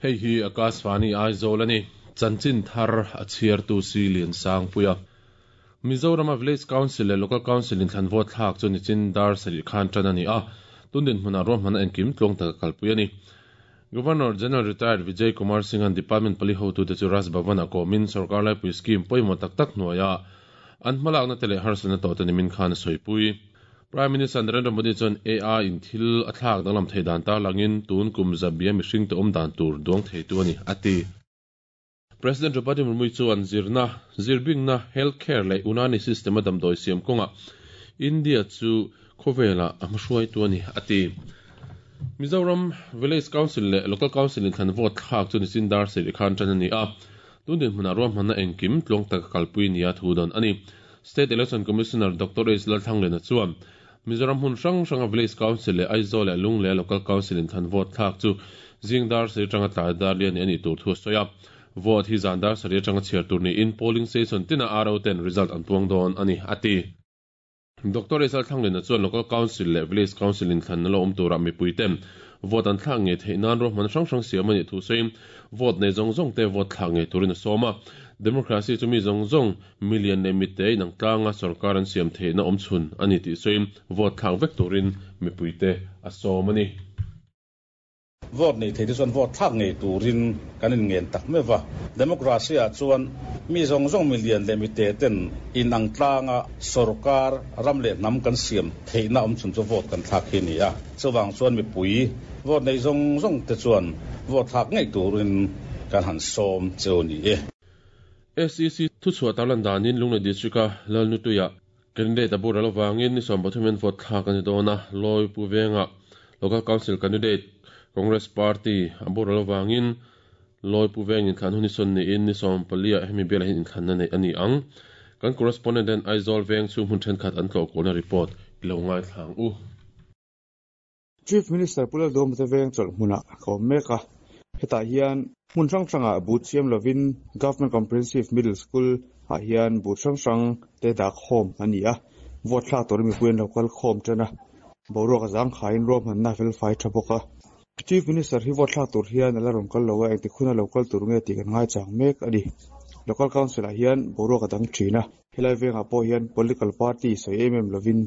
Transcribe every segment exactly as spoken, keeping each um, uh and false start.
Hei hi Akashvani Aizawl ani. Chanchin thar a chhiartu si lian sang puia. Mizoram Village Council le Local Council in thlan vote thlak chu nichin dar sarih khan tan ani a. Tundin hmuna ro hmana engkim tlawng tak kalpui ani. Governor General Retired Vijay Kumar Singh an Department pali hotu te chu Raj Bhavan a komin sarkar lai pui scheme pawimawh tak tak hnuaia an hmalak na te leh harsatna tawh te nimin khan a sawipui. Prime Minister Narendra Modi chuan A I in thil a thlak danglam thei dan tar langin tun kum zabia mihring te awm dan tur duang thei tu ani ati. President Draupadi Murmu chuan zirna zirbingna healthcare leh Unani system a damdawi siam kawnga India chu khawvela a hmahruai tu ani ati. Mizoram Village Council le Local Council in thlan vote thlak chu nichin dar sarih khan tan ani a. Tundin hmuna ro hmana engkim tlawng tak kalpui nia thu don ani. State Election Commissioner Doctor H Lalthanglena chuan Mizoram hun hrang hranga Village Council le Aizawl le Lungle Local Council in thlan vote thlak chu zingdar sarih atanga tlai dar lian ani tur thu a sawi a. Vote hi zandar sarih atanga chhiar tur ni in polling station tina R O ten result an puang dawn ani ati. Doctor H Lalthanglena chuan Local Council le Village Council in thlan na lo awm tura mipui ten vote an thlak nge theih nan ro hman hrang hrang siam ani thu sawiin vote nei zawng zawng te vote thlak nge turin a sawm a. Democracy chu mi zawng zawng million leh mite inang tlanga sarkar an siam theihna awm chhun ani tih sawiin vote thlak vek turin mipui te a sawm ani. Vote nei thei te chuan vote thlak ngei turin kan in ngen tak mewa. Democracy ah chuan mi zawng zawng million leh mite ten inang tlanga sarkar ram leh hnam kan siam theihna awm chhun chu vote kan thlak hi ni a. Chuwang chuan mipui vote nei zawng zawng te chuan vote thlak ngei turin kan han sawm cheu ni e. S E C thu chhuah tarlan danin Lunglei District a Lalnutuia candidate a bur alawangin ni sawm pathumin vote thlak ani dawn a. Lawi Pu Venga Local Council candidate Congress Party a bur alawangin Lawi Pu Veng in thlan hun ni sawn niin ni sawm palia hemi bial hin inthlan na nei ani ang. Kan correspondent an Aizawl Veng chu hmun thenkhat an tlawh kualna report ilo ngai thlang u. Chief Minister Pulal Dawmte Veng chawlh hmuna ka awm mek a. Hetah hian hmun hrang hranga but siam lovin Government Comprehensive Middle School ah hian but hrang hrang te dah khawm ani a. Vote thlak tur mipui an local khawm tana boruak a zang khain ro hmanna fel fai tha bawk a. Chief Minister hi vote thlak tur hian ala rawn kal lo a, engti khuna local tur nge tih kan ngai chang mek ani. Local Council ah hian boruak a dang thin a. Helai vengah pawh hian political party sawi em em lovin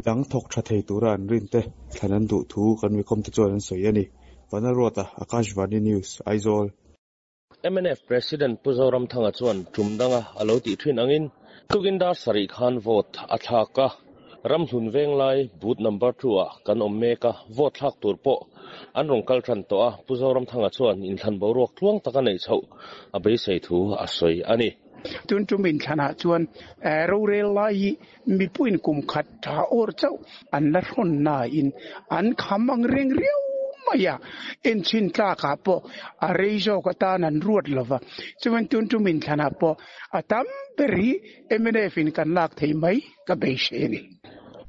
dang thawk tha thei tura an rin te thlan an duh thu kan mi khawm te chuan an sawi ani. Vanarota Akashvani News Aizawl. M N F President Pu Zoramthanga chuan tumdanga alo ti thin angin tukin dar sarih khan vote a thlak a. Ramhlun Venglai booth number two a kan awm mek a, vote thlak tur pawh an rawn kal than tawh a. Pu Zoramthanga chuan inthlan boruak tluang taka nei chhoh a beisei thu a sawi ani. Tun tum inthlanah chuan rorel lai mipuin kum khat tha or chauh an la hrawn na in an kham ang reng riau maya en chin tlaka pawh a rei zawk atan an ruat lova. Chuan tun tum inthlanah pawh a tam ber hi M N F in kan lak thei mai ka beisei ani.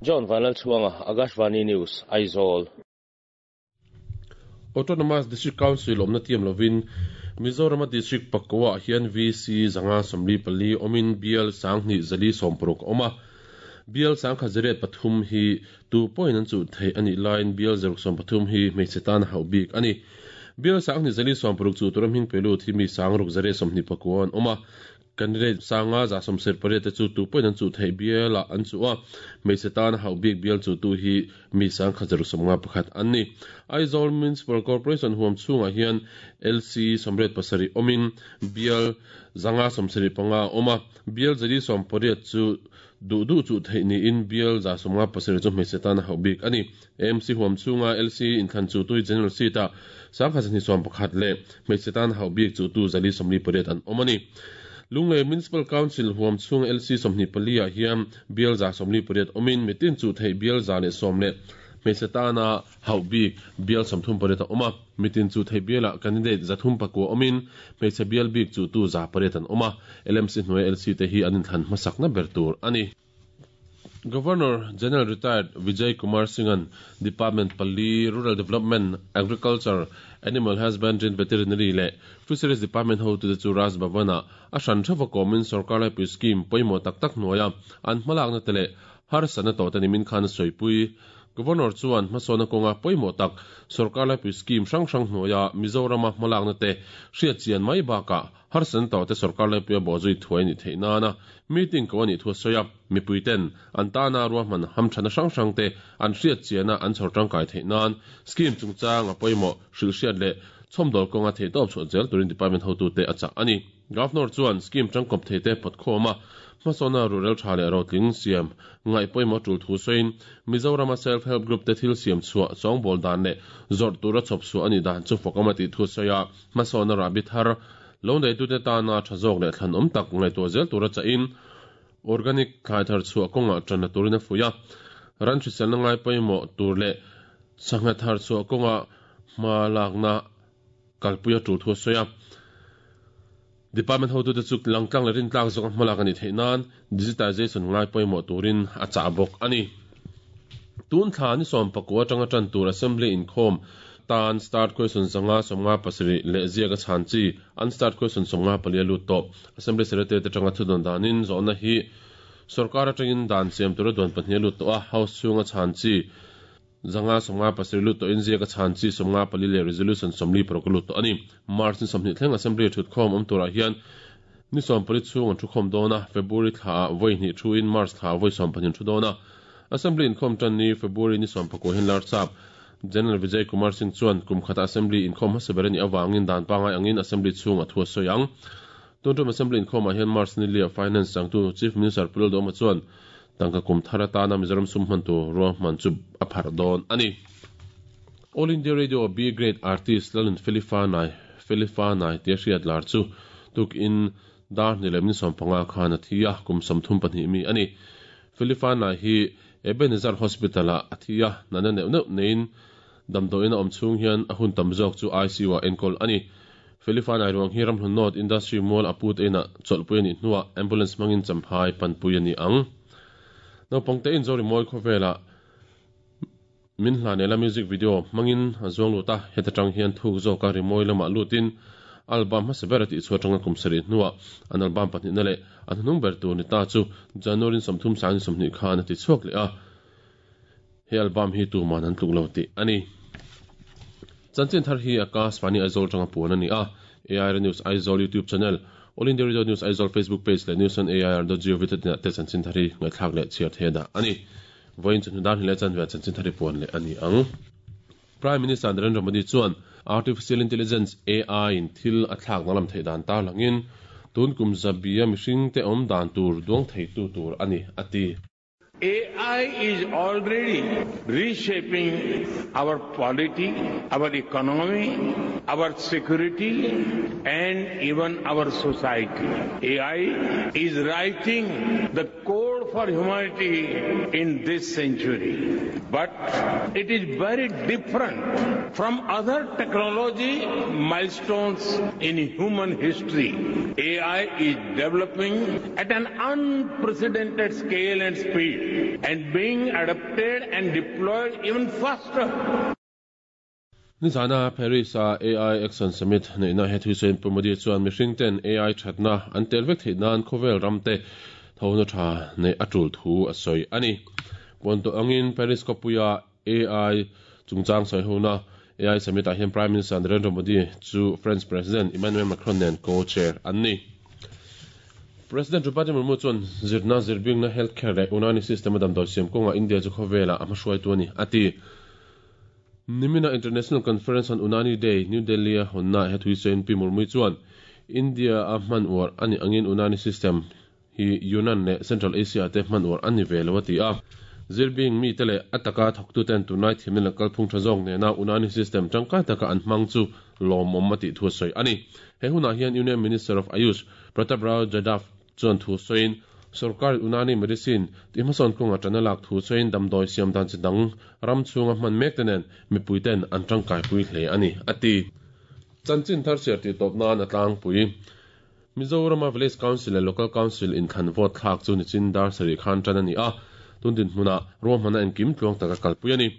John Vanlalchhuanga, Akashvani News, Aizawl. Autonomous District Council awmna tiam lovin Mizoram District pakua hian V C zanga somli pali awmin bial sanghnih zali sawmparuk a awm a. Bial sangkhat zariat pathum hi tu point an chu thei ani line bial zaruk sawm pathum hi hmeichhe tan hauh bik ani. Bial sanghnih zali sawmparuk chu turam hming pelu thi mi sangruk zariat sawmhnih pakua an awm a. Candidate sanga za sawmser pariat te chu tu point an chu thei bial ah an chu a. Hmeichhe tan hauh bik bial chu tu hi mi sangkhat zaruk sawmnga pakhat an ni. Aizawl Municipal Corporation huam chhungah hian L C sawmriat pasarih awmin bial zanga sawmsarih panga awm a. Bial zali sawm pariat chu du du chu thei niin bial za sawmnga pasarih chu hmeichhe tan hauh bik ani. M C huam chhunga L C inthlan chu tui general seat ah sangkhat zahnih sawm pakhat leh hmeichhe tan hauh bik chu tu zali sawmli pariat an awm ani. Lunglei Municipal Council huam chhung L C sawmhnih pali ah hian bial za sawmli pariat awmin mitin chu thei bial za leh sawm leh hmeichhe tana hauh bik bial sawmthum pariat a awm a. Mitin chu thei bial ah candidate zathum pakua awmin hmeichhe bial bik chu tu za pariat an awm a. L M C hnuai L C te hi an inthlan hmasakna ber tur ani. Governor General Retired Vijay Kumar Singh an Department Pali Rural Development Agriculture Animal Husbandry and Veterinary le Fisheries Department ho tu te chu Raj Bhavana a hran thava komin sarkar lai pui scheme pawimawh tak tak hnuaia an hmalakna te leh harsatna tawh te nimin khan a sawipui. Governor chuan hmasawna kawnga pawimawh tak sorkar laipui scheme hrang hrang hnuaia Mizorama hmalakna te hriat chian mai bakah harsan tawh te sorkar laipuia bawhzui thuai ni theih nana meeting ko ani thu a sawi a mipui ten an tana ruahman hamthana hrang hrang te an hriat chiana an chhawr tangkai theih nan scheme chungchang a pawimawh hrilh hriat leh chhawmdawl kawnga thei tawp chhuah zel turin department hotu te a chah ani. Governor chuan scheme tangkawp thei te phawtkhawm a hmasawna rural tha leh rotling siam ngai pawimawh tul thu sawiin Mizorama self help group te thil siam chhuah chawngbawl dan leh zawrh tura chhawp chhuah ani dan chu fawkama tih thu sawi a hmasawna rabi thar lo nei tu te tana tha zawk leh thlan awm tak ngaihtuah zel tura chahin organic thlai thar chhuah kawnga tanna turin a fuih a ran hriselna ngai pawimawh tur leh sangha thar chhuah kawnga hma lakna kalpuia tul thu sawi a Department hotu te chu langtlang leh rintlak zawk hmalak ani theih nan digitization ngai pawimawh turin a chah bawk ani. Tun thla ni sawm pakua atanga tan tur assembly inkhawm tan start question zanga sawmnga pasarih leh ziaka chhan chi an start question sawmnga palia lut tawp assembly secretary te tanga thudon danin zawhna hi sarkar atangin dan siam tura duan pahnih lut tawh a house chhunga chhan chi zanga sawmnga pasarih lut tawh in ziaka chhan chi sawmnga pali leh resolution sawmli paruk lut tawh ani. March ni sawmhnih thleng assembly thutkhawm awm turah hian ni sawm pali chhung an thukhawm dawn a February thla vawi hnih thu in March thla vawi sawm pahnih thu dawn a assembly inkhawm tan ni February ni sawm pakua hian lar chap General Vijay Kumar Singh chuan kum khata assembly inkhawm hmasa ber ani awangin dan pangai angin assembly chhung a thu a sawi ang. Tuntum assembly inkhawm ah hian March ni lia finance changtu Chief Minister Pu Lalduhoma chuan tangka kum thar atana Mizoram sum hman tur ruahman chu a phar dawn ani. All India Radio B Grade artist Lalun Felifa Nai Felifa Nai tia hriat lar chu tuk in dar ni lem ni sawm panga khan a thi a kum sawmthum pahnih mi ani. Felifa Nai hi Ebenezer Hospital a a thi a nana neuh neuh nein damdawiin a awm chhung hian a hun tam zawk chu I C U ah enkawl ani. Felifa Nai ruang hi Ramhlun North Industry Mall a put ena chawlhpui ani hnuah ambulance hmangin champhai panpui ani ang. Naupang te in zori mawi khawvela min hlanela music video hmangin a zuang lut a heta tang hian thuk zawka rimawi lamah lutin album hmasa ber a tih chhuah tanga kum sarih hnuah an album pahnih na leh an hnung ber tur ni ta chu January sawmthum sang sawmhnih khan a ti chhuak leh a he album hi tuman an tluk lo tih ani. Chanchin thar hi Akashvani Aizawl tanga puan ani a A I R News Aizawl YouTube channel All India Radio News Aizawl Facebook page leh news on A I R dot gov dot in te chanchin thar hi ngaihthlak leh chhiar the dah ani. Vawiin chu hnudan hi leh chanve chanchin thar hi puan leh ani ang. Prime Minister Narendra Modi chuan Artificial Intelligence A I in thil a thlak na lam thei dan tar langin tun kum zabia mihring te awm dan tur duang thei tu tur ani ati. A I is already reshaping our polity, our economy, our security, and even our society. A I is writing the code for humanity in this century. But it is very different from other technology milestones in human history. A I is developing at an unprecedented scale and speed, and being adopted and deployed even faster. Nizana Paris a A I Action Summit neina he thusain Pu Modi chuan mihring ten A I thatna an tel vek theih nan khawvel ramte thona tha nei atul thu a sawi ani. Puan to angin Paris khawpuia A I chungchang sawi hona A I Summit ah hian Prime Minister Narendra Modi chu French President Emmanuel Macron nen co-chair an ni. President Draupadi Murmu chuan zirna zirbingna healthcare leh Unani system a damdawi siam kawnga India chu khawvela a hmahruai tu ani ati. Nimina International Conference on Unani Day New Delhi a honna he thuisain Pi Murmu chuan India a hman uar ani angin Unani system hi Yunnan leh Central Asia te hman uar ani ve lo ati a. Zirbing mi te leh ataka thawktu ten tunai thimna leh kalphung tha zawk nena Unani system tangkai taka an hmang chu lawmawm a tih thu a sawi ani. He hunah hian Union Minister of Ayush Pratap Rao Jadhav chuan thu sawiin sarkar Unani medicine ti hmasawn kawnga tana lak thu sawiin damdawi siam dan chi dang ram chhunga hman mek te nen mipui ten an tangkai pui hle ani ati. Chanchin thar siar tih tawp nan a tlangpui Mizorama Village Council leh Local Council inthlan vote thlak chu nichin dar sarih khan tan ani a tundin hmuna ruahmana engkim tluang taka kalpui ani.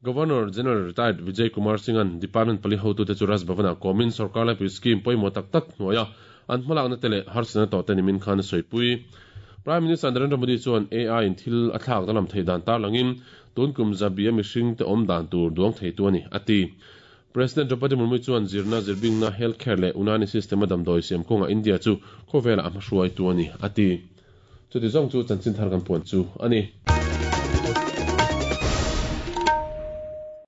Governor General Retired Vijay Kumar Singh an Department pali hotu te chu Raj Bhavana komin sarkar laipui scheme pawimawh tak tak hnuaia an hmalakna te leh harsana tawh te nimin khan a sawipui. Prime Minister Narendra Modi chuan A I in thil a thlak danglam thei dan tarlangin tun kum zabi a mihring te awm dan tur duang theitu a ni, a ti. President Draupadi Murmu chuan zirna, zirbingna, healthcare leh Unani system a damdawi siam kawnga India chu khawvela a hmahruaitu a ni, a ti. Chuti zawng chu chanchin thar kan puan chu a ni.